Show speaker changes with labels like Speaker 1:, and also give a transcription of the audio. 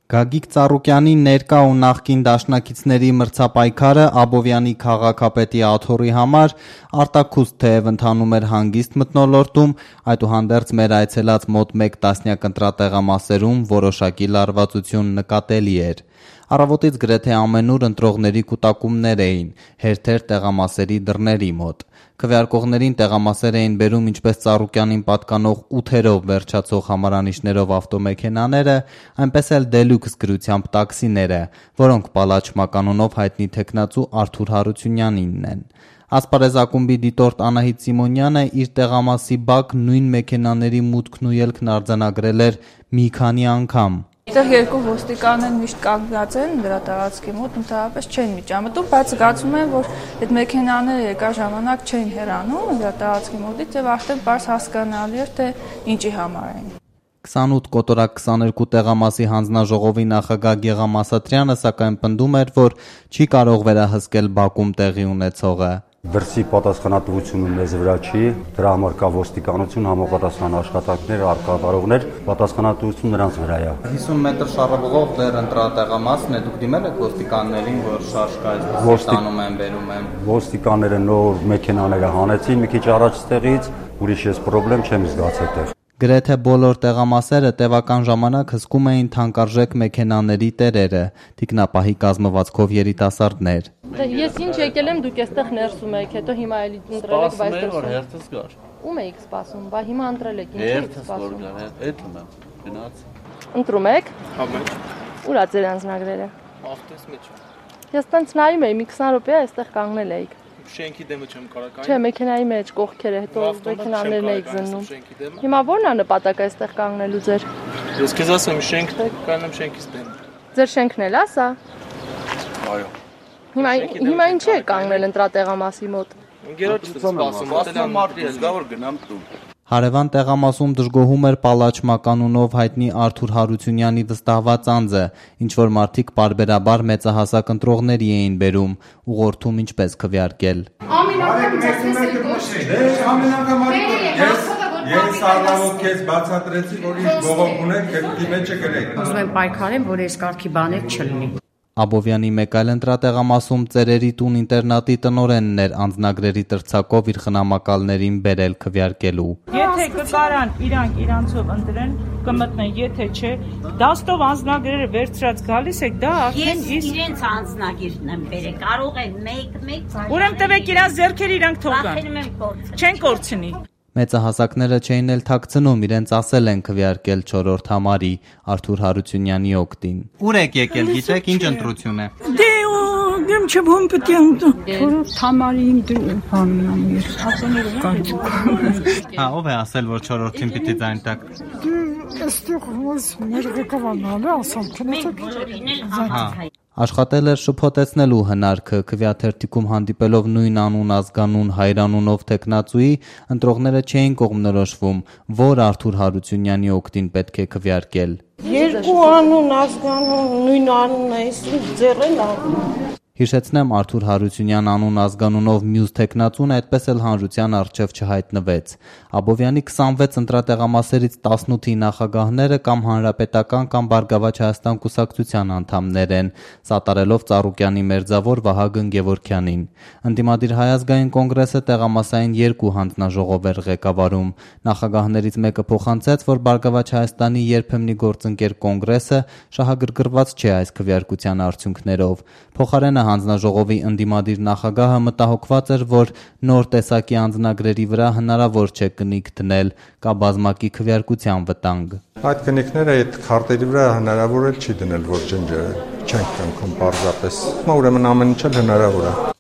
Speaker 1: Գագիկ Ծառուկյանի ներկա ու նախկին դաշնակիցների մրցապայքարը Աբովյանի քաղաքապետի աթոռի համար արտաքուստ թեև ընթանում էր հանգիստ մթնոլորտում, այդուհանդերձ մեր այցելած մոտ 1 տասնյակ ընտրատեղամասերում որոշակի լարվածություն նկատելի էր։ Առավոտից գրեթե ամենուր ընտրողների կուտակումներ էին, հերթեր տեղամասերի դռների մոտ։ Քվեարկողներին տեղամասեր էին բերում ինչպես Ծառուկյանին պատկանող 8-երով վերջացող համարանիշներով ավտոմեքենաները, այնպես էլ դելյուքս գրությամբ տաքսիները, որոնք Պալաչ մականունով հայտնի թեկնածու Արթուր Հարությունյանինն են։ Ասպարեզ ակումբի դիտորդ Անահիտ Սիմոնյանը իր տեղամասի բակ նույն մեքենաների մուտքն ու ելքն արձանագրել էր մի քանի անգամ։
Speaker 2: Այդտեղ երկու ոստիկաններ միշտ կանգնած են դրա տարածքի մոտ, ընդհանրապես չեն միջամտում, բայց զգացում եմ, որ այդ մեքենաները երկար ժամանակ չեն հեռանում դրա տարածքի մոտից եւ արդեն բարձ հասկանալի էր, թե ինչի համար են։
Speaker 1: 28 կոտորակ 22 տեղամասի հանձնաժողովի նախագահ Գեգամ Ասատրյանը սակայն պնդում էր, որ չի կարող վերահսկել բակում տեղի ունեցողը։
Speaker 3: Դրսի պատասխանատվությունը մեզ վրա չի, դրա համար կա ոստիկանություն, համապատասխան աշխատանքներ, արկադարողներ, պատասխանատվություն նրանց վրա է։
Speaker 1: 50 մետր շարավորող դեռ ընտրատեղամասն է, դուք դիմել եք ոստիկաններին, որ շարժ կա, այսպես տանում են, բերում են։
Speaker 3: Ոստիկանները նոր մեքենաները հանեցին մի քիչ առաջ ստեղից, ուրիշ ես պրոբլեմ չեմ զգացել այդտեղ։
Speaker 1: Գրեթե բոլոր տեղամասերը տևական ժամանակ հսկում էին թանկարժեք մեքենաների տերերը, թիկնապահի կազմվածքով երիտասարդներ։
Speaker 4: Ես ինչ եկել եմ, դուք այստեղ ներսում եք, հետո հիմա էլի ընտրել եք, բայց
Speaker 5: որ հերթս գար։
Speaker 4: Ում էիք սպասում, բա հիմա ընտրել եք, ինչ եք սպասում։
Speaker 5: Էդ ում եմ, գնաց։
Speaker 4: Ընտրում եք։
Speaker 5: Հա մեջ։
Speaker 4: Ուր է ձեր անձնագրերը։
Speaker 5: Ավտոս մեջ։
Speaker 4: Ես տենց նայում էի, մի 20 րոպե այստեղ կանգնել էիք։
Speaker 5: Շենքի դեմը չեմ կարող։
Speaker 4: Չէ, մեքենայի մեջ կողքերը, հետո մեքենաներն էիք զննում։ Հիմա ո՞րն է նպատակը այստեղ կանգնելու ձեր։
Speaker 5: Ես քեզ ասեմ, շենքն է, կանեմ շենքից դեմ։
Speaker 4: Ձեր շենքն էլ է սա։
Speaker 5: Այո։
Speaker 4: Հիմա ինչի է կանգնել ընտրատեղամասի մոտ։
Speaker 5: Ընկերոջս սպասում, ասել մարդի ես գա որ գնամ տուն։
Speaker 1: Հարևան տեղամասում դժգոհում էր Պալաչ մականունով հայտնի Արթուր Հարությունյանի վստահված անձը, ինչ որ մարդիկ պարբերաբար մեծահասակ ընտրողների էին բերում, ուղղորդում ինչպես քվեարկել։
Speaker 6: Ես առավոտ քեզ բացատրեցի, որ ինչ բողոք ունեք, քեզ մեջը գրեք։
Speaker 7: Ուզում եմ պայքարեմ, որ այս կարգի բաներ չլինի։
Speaker 1: Աբովյանի մեկ այլ ընտրատեղամասում Ծերերի տուն ինտերնատի տնօրենն էր անձնագրերի տրցակով իր խնամակալներին բերել քվեարկելու։
Speaker 8: Եթե կկարան իրանցով ընտրեն, կմտնեն, եթե չէ, դաստով անձնագրերը վերցրած գալիս եք, դա արդեն
Speaker 7: իսկ իրենց անձնագիրն եմ բերել, կարող են մեկ
Speaker 8: Ուրեմն տվեք իրանց ձեռքերը իրանք թողան։ Չեն կորցնի։
Speaker 1: Մեծահասակները չէին էլ թաքցնում, իրենց ասել են քվեարկել 4-րդ համարի Արթուր Հարությունյանի օգտին։ Ուր եք եկել, գիտեք ինչ ընտրություն է։
Speaker 8: Դե գեմ չփոմ պետք է ընտրում։
Speaker 9: 4-րդ համարի իմ բանն եմ
Speaker 1: Հա, ով է ասել, որ 4-րդին պիտի ձայն տակ։
Speaker 9: Այստեղ ոնց մեր ղեկավարն է ասում, թե
Speaker 1: Աշխատել էր շփոթեցնելու հնարքը, քվեաթերթիկում հանդիպելով նույն անուն ազգանուն հայրանունով թեկնածուի, ընտրողները չէին կողմնորոշվում, որ Արթուր Հարությունյանի օգտին պետք է քվեարկել։
Speaker 10: Երկու անուն ազգանուն նույն անունն է, իսկ ձեռել անուն։
Speaker 1: Հիշեցնեմ, Արթուր Հարությունյան անուն ազգանունով մյուս թեկնածուն այդպես էլ հանրության առջև չհայտնվեց։ Աբովյանի 26 ընտրատեղամասերից 18-ի նախագահները կամ հանրապետական կամ Բարգավաճ Հայաստան կուսակցության անդամներ են, սատարելով Ծառուկյանի մերձավոր Վահագն Գևորգյանին։ Ընդդիմադիր Հայ ազգային կոնգրեսը տեղամասային 2 հանձնաժողով էր ղեկավարում։ Նախագահներից մեկը փոխանցեց, որ Բարգավաճ Հայաստանի երբեմնի գործընկեր կոնգրեսը շահագրգռված չէ այս քվեարկության արդյունքներով։ Փոխարենը հանձնաժողովի ընդդիմադիր նախագահը մտահոգված էր, որ նոր տեսակի անձնագրերի վրա հնարավոր չէ կնիկ դնել, կա բազմակի քվեարկության վտանգ։
Speaker 6: Այդ կնիկները այդ քարտերի վրա հնարավոր էլ չի դնել, որ չենք կնքում պարզապես։ Ուրեմն ամեն ինչ էլ հնարավոր է։